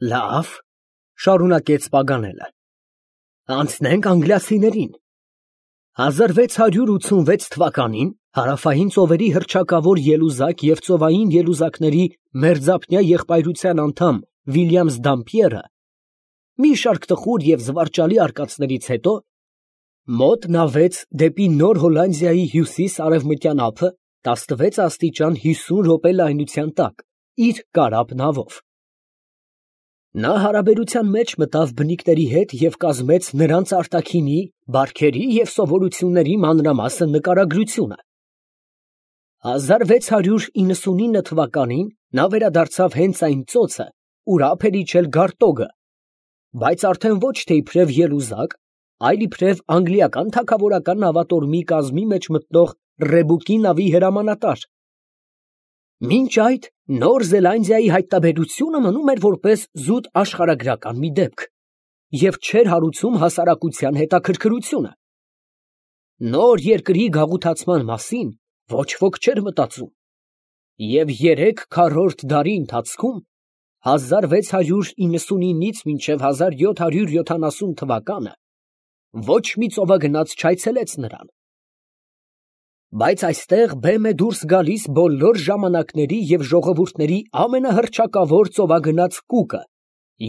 Լավ, շարունակեց Պագանելը, անցնենք անգլիացիներին։ 1686 թվականին հարավային ծովերի հռչակավոր ելուզակ և ծովային ելուզակների մերձափնյա եղբայրության անդամ Վիլյամս Դամպիերը մի շարք տխուր և զվարճալի արկածներից հետո մոտ նավեց դեպի Նոր Հոլանդիայի հյուսիս֊արևմտյան ափը 16 աստիճան 50 րոպե լայնության տակ իր կարապ նավով։ Նա հարաբերության մեջ մտավ բնիկների հետ և կազմեց նրանց արտաքինի, բարքերի և սովորությունների մանրամասն նկարագրությունը։ 1699 թվականին նա վերադարձավ հենց այն ծոցը, ուր ափ էր իջել Գարտոգը, բայց արդեն ոչ թե իբրև ելուզակ, այլ իբրև անգլիական թագավորական նավատորմի կազմի մեջ մտնող Ռեբուկի նավի հրամանատար։ Մինչ այդ Նոր Զելանդիայի հայտնաբերությունը մնում էր որպես զուտ աշխարհագրական մի դեպք և չէր հարուցում հասարակության հետաքրքրությունը։ Նոր երկրի գաղութացման մասին ոչ ոք չէր մտածում, և 3 քառորդ դարի ընթացքում (1699-ից մինչև 1770 թվականը) ոչ մի ծովագնաց չայցելեց նրան։ Բայց այստեղ բեմ է դուրս գալիս բոլոր ժամանակների և ժողովուրդների ամենահռչակավոր ծովագնաց Կուկը,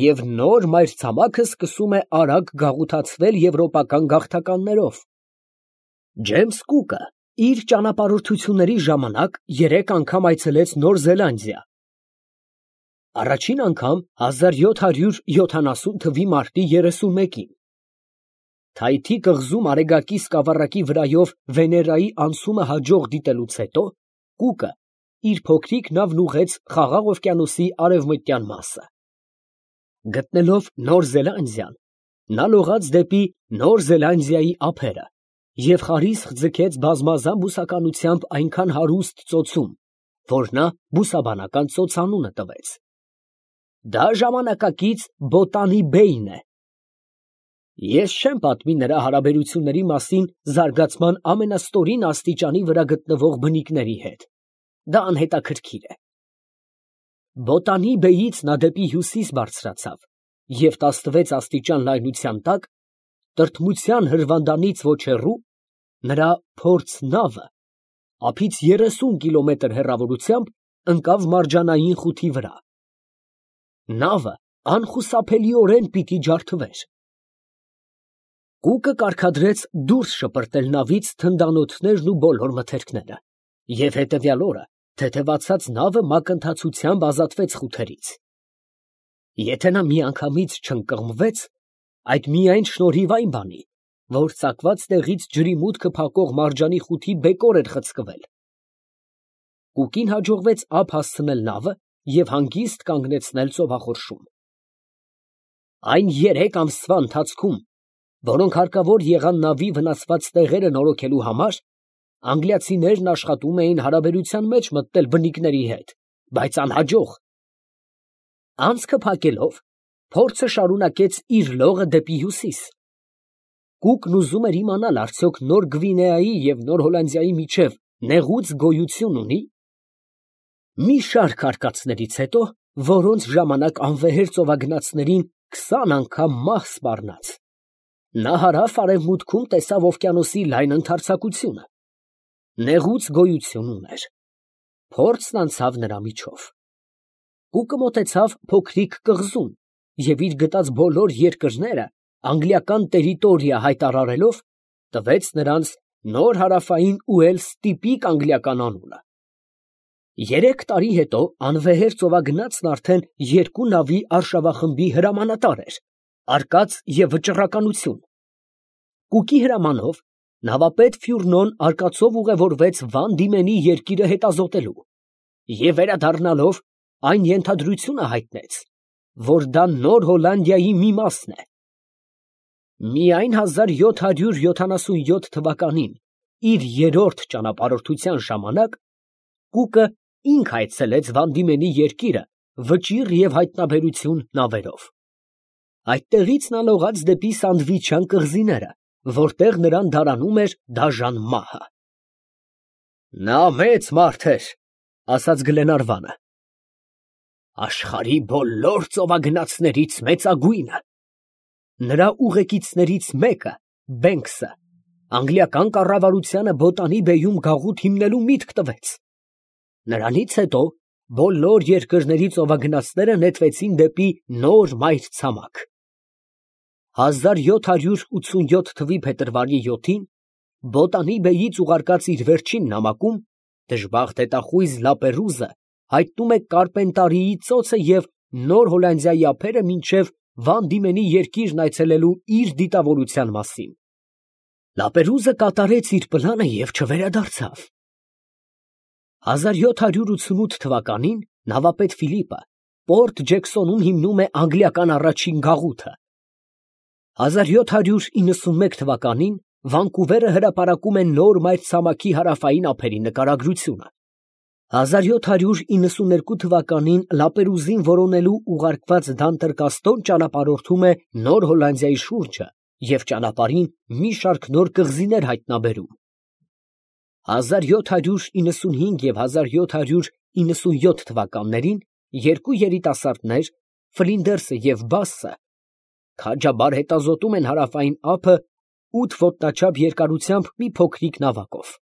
և նոր մայրցամաքը սկսում է արագ գաղութացվել եվրոպական գաղթականներով։ Ջեյմս Կուկը իր ճանապարհորդությունների ժամանակ 3 անգամ այցելեց Նոր Զելանդիա. առաջին անգամ 1770 թվականի մարտի 31-ին։ Թայթի կղզում Արեգակի սկավառակի վրայով Վեներայի անցումը հաջող դիտելուց հետո Կուկը իր փոքրիկ նավն ուղղեց Խաղաղ օվկիանոսի արևմտյան մասը։ Գտնելով Նոր Զելանդիան, նա լողաց դեպի Նոր Զելանդիայի ափերը և խարիսխ ձգեց բազմազան բուսականությամբ այնքան հարուստ ծոցում, որ նա բուսաբանական ծոցանունը տվեց։ Դա ժամանակակից Բոտանի Բեյն է։ Ես չեմ պատմի նրա հարաբերությունների մասին զարգացման ամենաստորին աստիճանի վրա գտնվող բնիկների հետ, դա անհետաքրքիր է։ Բոտանի Բեյից նա դեպի հյուսիս բարձրացավ և 16 աստիճան լայնության տակ, տրտմության հրվանդանից ոչ հեռու, նրա փորձ նավը ափից 30 կիլոմետր հեռավորությամբ ընկավ մարջանային խութի վրա։ Նավը անխուսափելիորեն պիտի ջարդվեր։ Կուկը կարգադրեց դուրս շպրտել նավից թնդանոթներն ու բոլոր մթերքները, և հետևյալ օրը թեթևացած նավը մակընթացությամբ ազատվեց խութերից։ Եթե նա միանգամից չընկղմվեց, այդ միայն շնորհիվ այն բանի, որ ծակված տեղից ջրի մուտքը փակող մարջանի խութի բեկոր էր խցկվել։ Կուկին հաջողվեց ափ հասցնել նավը և հանգիստ կանգնեցնել ծովախորշում։ Այն 3 ամսվա ընթացքում, որոնք հարկավոր եղան նավի վնասված տեղերը նորոգելու համար, անգլիացիներն աշխատում էին հարաբերության մեջ մտնել բնիկների հետ, բայց անհաջող։ Անցքը փակելով, փորձը շարունակեց իր լողը դեպի հյուսիս։ Կուկն ուզում էր իմանալ, արդյոք Նոր Գվինեայի և Նոր Հոլանդիայի միջև նեղուց գոյություն ունի՞։ Մի շարք արկածներից հետո, որոնց ժամանակ անվեհեր ծովագնացներին 20 անգամ մահ սպառնաց, նա հարավ֊արևմուտքում տեսավ օվկիանոսի լայն ընդարձակությունը։ Նեղուց գոյություն ուներ։ Փորձն անցավ նրա միջով։ Կուկը մոտեցավ փոքրիկ կղզուն և իր գտած բոլոր երկրները անգլիական տերիտորիա հայտարարելով, տվեց նրանց Նոր Հարավային Ուելս տիպիկ անգլիական անունը։ 3 տարի հետո անվեհեր ծովագնացն արդեն 2 նավի արշավախմբի հրամանատար էր, արկած և վճռականություն։ Կուկի հրամանով նավապետ Ֆյուրնոն արկածով ուղևորվեց Վան Դիմենի երկիրը հետազոտելու և վերադառնալով այն ենթադրությունը հայտնեց, որ դա Նոր Հոլանդիայի մի մասն է։ Միայն 1777 թվականին իր 3-րդ ճանապարհորդության ժամանակ Կուկը ինքը այցելեց Վան Դիմենի երկիրը վճիռ և հայտնաբերություն նավերով։ Այդտեղից նա լողաց դեպի Սանդվիչյան կղզիները, որտեղ նրան դարանում էր դաժան մահը։ «Նա մեծ մարդ էր», ֊ ասաց Գլենարվանը։ Աշխարհի բոլոր ծովագնացներից մեծագույնը։ Նրա ուղեկիցներից մեկը, Բենքսը, անգլիական կառավարությանը Բոտանի բեյում գաղութ հիմնելու միտք տվեց։ Նրանից հետո բոլոր երկրների ծովագնացները նետվեցին դեպի նոր մայրցամաք։ 1787 թվականի փետրվարի 7-ին Բոտանի բեյից ուղարկած իր վերջին նամակում դժբախտ հետախույզ Լապերուզը հայտնում է Կարպենտարիի ծոցը և Նոր Հոլանդիայի ափերը մինչև Վան Դիմենի երկիրն այցելելու իր դիտավորության մասին։ Լապերուզը կատարեց իր պլանը և չվերադարձավ։ 1788 թվականին նավապետ Ֆիլիպը Պորտ Ջեքսոնում հիմնում է անգլիական առաջին գաղութը։ 1791 թվականին Վանկուվերը հրապարակում է նոր մայրցամաքի հարավային ափերի նկարագրությունը։ 1792 թվականին Լապերուզին որոնելու ուղարկված Դանտեր-Կաստոն ճանապարհորդում է Նոր Հոլանդիայի շուրջը և ճանապարհին մի շարք նոր կղզիներ հայտնաբերում։ 1795 և 1797 թվականներին երկու երիտասարդներ, Ֆլինդերսը և Բասսը, քաջաբար հետազոտում են հարավային ափը 8 ոտնաչափ երկարությամբ մի փոքրիկ նավակով։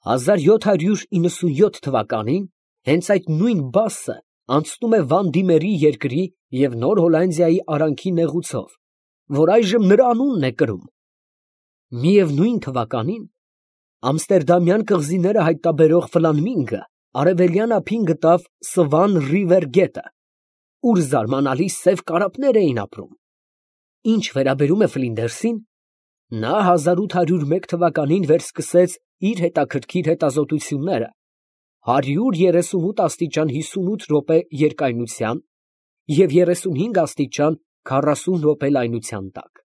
1797 թվականին հենց այդ նույն Բասսը անցնում է Վան Դիմերի երկրի և Նոր Հոլանդիայի արանքի նեղուցով, որ այժմ նրա անունն է կրում։ Միևնույն թվականին ամստերդամյան կղզիները հայտնաբերող Ֆլանմինգը արևելյան ափին գտավ Սվան Ռիվեր գետը, ուր զարմանալի սև կարապներ էին ապրում։ Ինչ վերաբերում է Ֆլինդերսին, նա 1801 թվականին վերսկսեց իր հետաքրքիր հետազոտությունները 138 աստիճան 58 րոպե երկայնության և 35 աստիճան 40 րոպե լայնության տակ։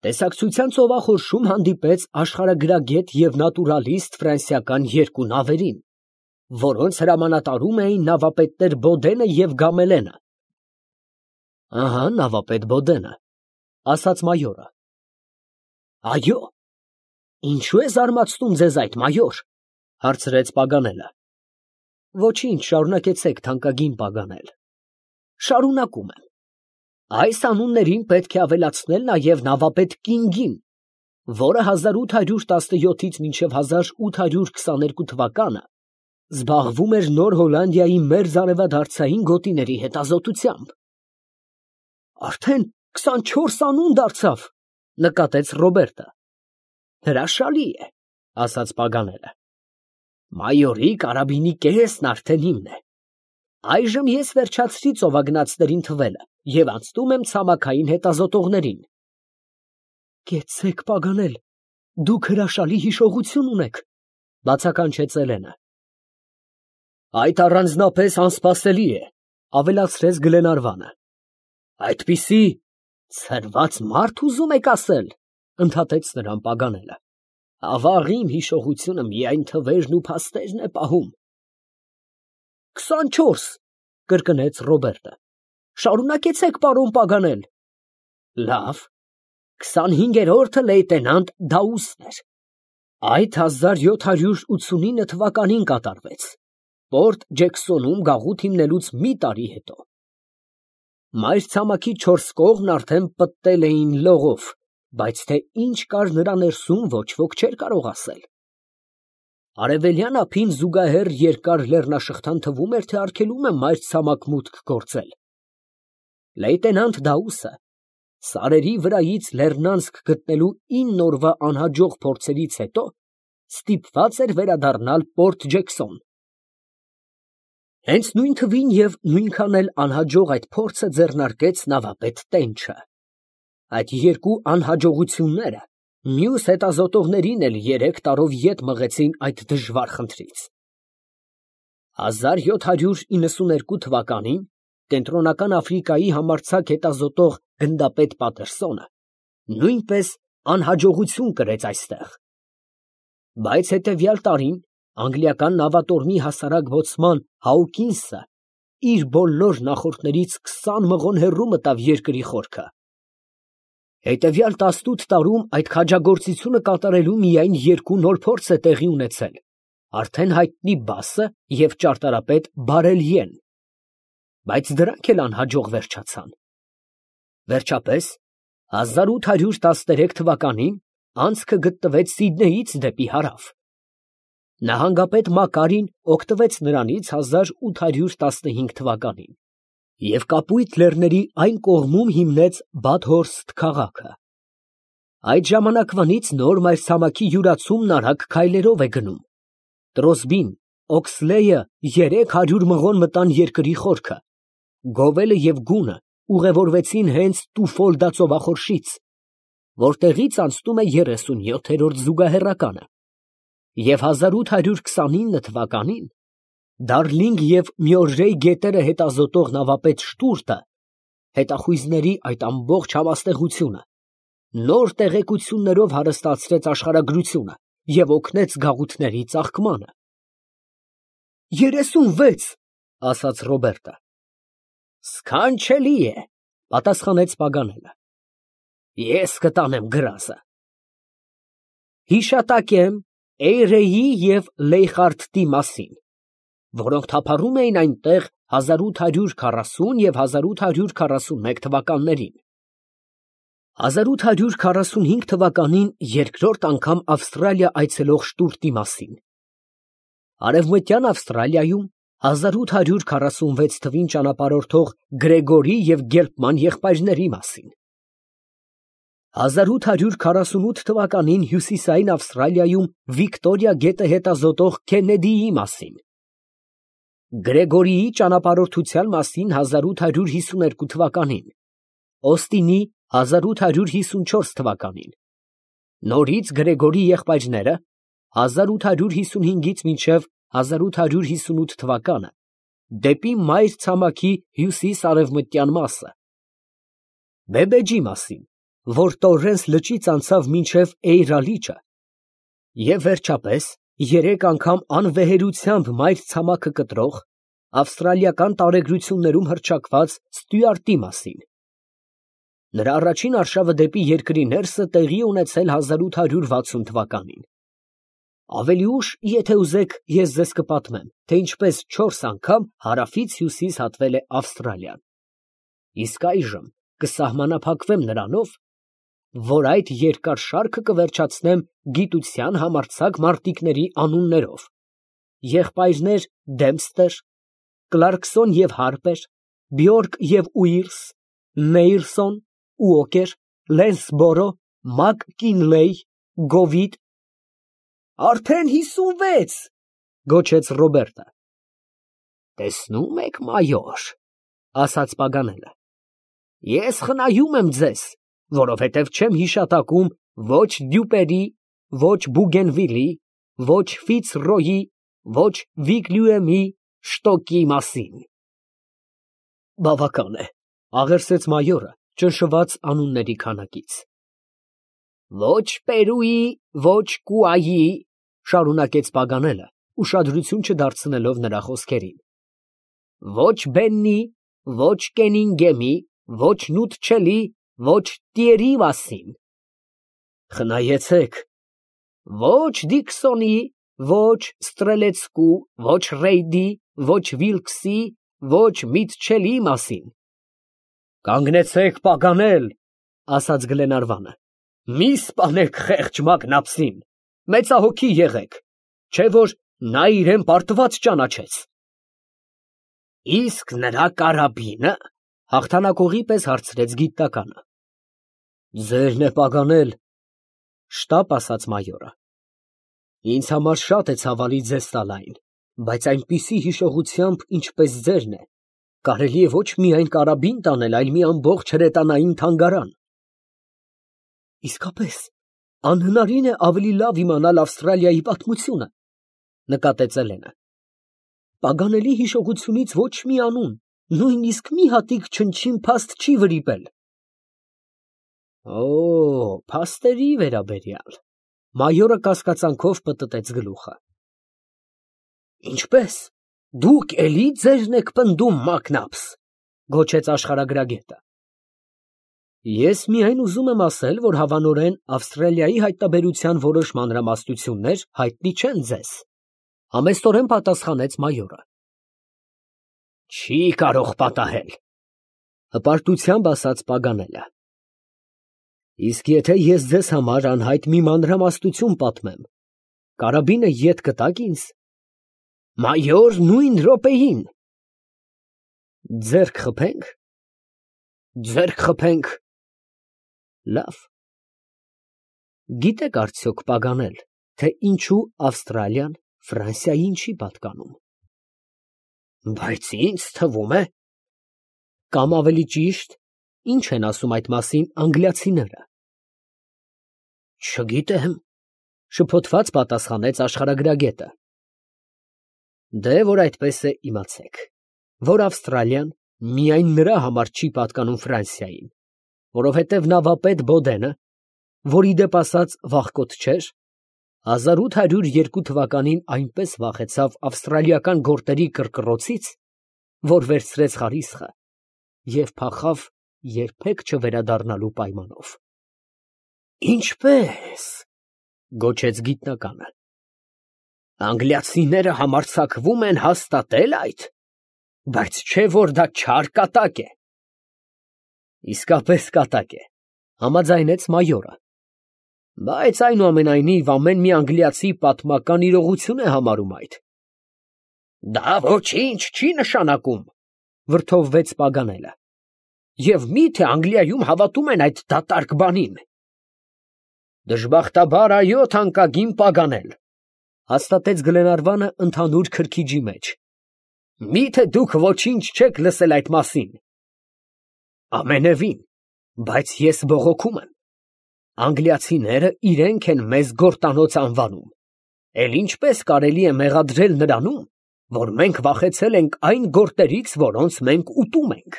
Տեսակցության ծովախորշում հանդիպեց աշխարհագրագետ և նատուրալիստ ֆրանսիական երկու նավերին, որոնց հրամանատարում էին նավապետներ Բոդենը և Գամելենը։ Ահա նավապետ Բոդենը, ասաց մայորը։ Այո, ինչո՞ւ է զարմացնում ձեզ այդ, մայոր, հարցրեց Պագանելը։ Ոչինչ, շարունակեցեք, թանկագին Պագանել։ Շարունակում եմ։ Այս անուններին պետք է ավելացնել նաև նավապետ Կինգին, որը 1817-ից մինչև 1822 թվականը զբաղվում էր Նոր Հոլանդիայի մերձարևադարձային գոտիների հետազոտությամբ։ Արդեն 24 անուն դարձավ, նկատեց Ռոբերտը։ Հրաշալի է, ասաց Պագանելը։ Մայորի կարաբինի կեսն արդեն իմն է։ Այժմ ես վերջացրի ծովագնացներին թվելը և անցնում եմ ցամաքային հետազոտողներին։ Կեցցեք, Պագանել, դուք հրաշալի հիշողություն ունեք, բացականչեց Էլենը։ Այդ առանձնապես անսպասելի է, ավելացրեց Գլենարվանը։ Այդպիսի ցրված մարդ ուզում եք ասել, ընդհատեց նրան Պագանելը։ Ավաղ իմ հիշողությունը միայն թվերն ու փաստերն է պահում։ 24, կրկնեց Ռոբերտը։ Շարունակեցեք, պարոն Պագանել։ Լավ, 25-րդը լեյտենանտ Դաուսն էր։ Այդ 1789 թվականին կատարվեց, Պորտ Ջեքսոնում գաղութ հիմնելուց մի տարի հետո։ Մայրցամաքի 4 կողմն արդեն պտտել էին լողով, բայց թե ինչ կար նրա ներսում, ոչ ոք չէր կարող ասել։ Արևելյան ափին զուգահեռ երկար լեռնաշղթան թվում էր, թե արգելում է մայրցամաք մուտք գործել։ Լեյտենանտ Դաուսը սարերի վրայից լեռնանցք գտնելու 9 օրվա անհաջող փորձերից հետո ստիպված էր վերադառնալ Պորտ Ջեքսոն։ Հենց նույն թվին և նույնքան էլ անհաջող այդ փորձը ձեռնարկեց նավապետ Տենչը։ Այդ երկու անհաջողությունները մյուս հետազոտողներին էլ 3 տարով ետ մղեցին այդ դժվար խնդրից։ 1792 թվականին Կենտրոնական Աֆրիկայի համարձակ հետազոտող գնդապետ Պատերսոնը նույնպես անհաջողություն կրեց այստեղ։ Բայց հետևյալ տարին անգլիական նավատորմի հասարակ բոցման Հաուկինսը իր բոլոր նախորդներից 20 մղոն հեռու մտավ երկրի խորքը։ Հետևյալ 18 տարում այդ քաջագործությունը կատարելու միայն 2 նոր փորձ է տեղի ունեցել, արդեն հայտնի Բասը և ճարտարապետ Բարելիեն, բայց դրանք էլ անհաջող վերջացան։ Վերջապես 1813 թվականին անցքը գտնվեց Սիդնեյից դեպի հարավ։ Նահանգապետ Մակարին օգտվեց նրանից 1815 թվականին և Կապույտ լեռների այն կողմում հիմնեց Բադհորսթ քաղաքը։ Այդ ժամանակվանից նոր մայրցամաքի յուրացումն արագ քայլերով է գնում։ Տրոսբին, Օքսլեյը 300 մղոն մտան երկրի խորքը, Գովելը և Գունը ուղևորվեցին հենց Տուֆոլդա ծովախորշից, որտեղից անցնում է 37-րդ զուգահեռականը, և 1829 թվականին Դարլինգ և Մյորրեյ գետերը հետազոտող նավապետ Շտուրտը հետախույզների այդ ամբողջ համաստեղությունը նոր տեղեկություններով հարստացրեց աշխարհագրությունը և օգնեց գաղութների ծաղկմանը։ 36, ասաց Ռոբերտը։ Սքանչելի է, պատասխանեց Պագանելը։ Ես կտանեմ գրազը։ Հիշատակեմ Էյրեյի և Լեյխարդտի մասին, որոնք թափառում էին այնտեղ 1840 և 1841 թվականներին։ 1845 թվականին երկրորդ անգամ Ավստրալիա այցելող Շտուրտի մասին։ Արևմտյան Ավստրալիայում 1846 թվին ճանապարհորդող Գրեգորի և Գելպման եղբայրների մասին։ 1848 թվականին հյուսիսային Ավստրալիայում Վիկտորիա գետը հետազոտող Քեննեդիի մասին։ Գրեգորիի ճանապարհորդության մասին 1852 թվականին, Օստինի 1854 թվականին, նորից Գրեգորի եղբայրները 1855-ից մինչև 1858 թվականը դեպի մայրցամաքի հյուսիս֊արևմտյան մասը, Բեբեջի մասին, որ Տորրենս լճից անցավ մինչև Էյրա լիճը, և վերջապես 3 անգամ անվեհերությամբ մայրցամաքը կտրող, ավստրալիական տարեգրություններում հռչակված Ստյուարտի մասին։ Նրա առաջին արշավը դեպի երկրի ներսը տեղի է ունեցել 1860 թվականին։ Ավելի ուշ, եթե ուզեք, ես ձեզ կպատմեմ, թե ինչպես 4 անգամ հարավից հյուսիս հատվել է Ավստրալիան։ Իսկ այժմ կսահմանափակվեմ նրանով, որ այդ երկար շարքը կվերջացնեմ գիտության համարձակ մարտիկների անուններով. եղբայրներ Դեմփստեր, Կլարկսոն և Հարպեր, Բյորկ և Ուիլս, Նեյլսոն, Ուոկեր, Լենսբորո, Մակ Կինլեյ, Գովիտ։ Արդեն 56, գոչեց Ռոբերտը։ Տեսնում եք, մայոր, ասաց Պագանելը, ես խնայում եմ ձեզ, որովհետև չեմ հիշատակում ոչ Դյուպերի, ոչ Բուգենվիլի, ոչ Ֆիցրոյի, ոչ Վիգլյուեմի, Շտոկի մասին։ Բավական է, աղերսեց մայորը, ճնշված անունների քանակից։ Ոչ Պերուի, ոչ Կուայի, շարունակեց Պագանելը, ուշադրություն չդարձնելով նրա խոսքերին, ոչ Բեննի, ոչ Կենինգեմի, ոչ Նութչելի, ոչ Տիերի մասին։ Խնայեցեք։ Ոչ Դիքսոնի, ոչ Ստրելեցկու, ոչ Ռեյդի, ոչ Վիլքսի, ոչ Միթչելի մասին։ Կանգնեցեք, Պագանել, ասաց Գլենարվանը, մի սպանեք խեղճ մակնապսին, մեծահոգի եղեք, չէ որ նա իրեն պարտված ճանաչեց։ Իսկ նրա կարաբինը, հաղթանակողի պես հարցրեց գիտականը։ Ձերն է, Պագանել, շտապ ասաց մայորը։ Ինձ համար շատ է ցավալի ձեզ տալ այն, բայց այնպիսի հիշողությամբ, ինչպես ձերն է, կարելի է ոչ միայն կարաբին տանել, այլ մի ամբողջ հրետանային թանգարան։ Իսկապես, անհնարին է ավելի լավ իմանալ Ավստրալիայի պատմությունը, նկատեց Էլենը։ Պագանելի հիշողությունից ոչ մի անուն, նույնիսկ մի հատիկ չնչին փաստ չի վրիպել։ Օ, փաստերի վերաբերյալ, մայորը կասկածանքով պտտեց գլուխը։ Ինչպես, դուք էլի ձերն եք պնդում, մակնապս, գոչեց աշխարհագրագետը։ Ես միայն ուզում եմ ասել, որ հավանորեն Ավստրալիայի հայտնաբերության որոշ մանրամասնություններ հայտնի չեն ձեզ, Համեստորեն պատասխանեց մայորը։ Չի կարող պատահել, հպարտությամբ ասաց Պագանելը։ Իսկ եթե ես ձեզ համար անհայտ մի մանրամասնություն պատմեմ, կարաբինը ետ կտաք ինձ։ Մայոր, նույն րոպեին։ Ձեռք խփենք։ Ձեռք խփենք։ Լավ։ Գիտեք արդյոք Պագանել, թե ինչու Ավստրալիան Ֆրանսիային չի պատկանում։ Բայց ինձ թվում է, կամ ավելի ճիշտ, ինչ են ասում այդ մասին անգլիացիները։ Չգիտեմ, շփոթված պատասխանեց աշխարհագրագետը։ Դե որ այդպես է, իմացեք, որ Ավստրալիան միայն նրա համար չի պատկանում Ֆրանսիային, որովհետև նավապետ Բոդենը, որ ի դեպ ասած վախկոտ չէր, 1802 թվականին այնպես վախեցավ ավստրալիական գորտերի կռկռոցից, որ վերցրեց խարիսխը և փախավ երբեք չվերադառնալու պայմանով։ Ինչպե՞ս, գոչեց գիտնականը։ Անգլիացիները համարձակվում են հաստատել այդ, բայց չէ որ դա չար կատակ է։ Իսկապես կատակ է, համաձայնեց մայորը։ Բայց այնուամենայնիվ ամեն մի անգլիացի պատմական իրողություն է համարում այդ։ Դա ոչինչ չի նշանակում, վրդովվեց Պագանելը։ Եվ մի՞թե Անգլիայում հավատում են այդ դատարկ բանին։ Դժբախտաբար այո, թանկագին Պագանել, հաստատեց Գլենարվանը ընդհանուր քրքիջի մեջ։ Մի՞թե դուք ոչինչ չեք լսել այդ մասին։ Ամենևին, բայց ես բողոքում եմ։ Անգլիացիները իրենք են մեզ գորտանոց անվանում, էլ ինչպես կարելի է մեղադրել նրանում, որ մենք վախեցել ենք այն գորտերից, որոնց մենք ուտում ենք։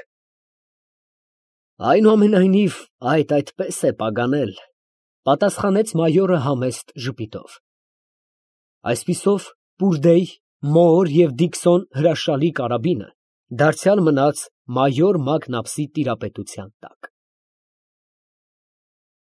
Այնուամենայնիվ, այդպես է Պագանել, պատասխանեց մայորը համեստ ժպիտով։ Այսպիսով, Պուրդեյ, Մոոր և Դիքսոն հրաշալի կարաբինը դարձյալ մնաց մայոր Մակնապսի տիրապետության տակ։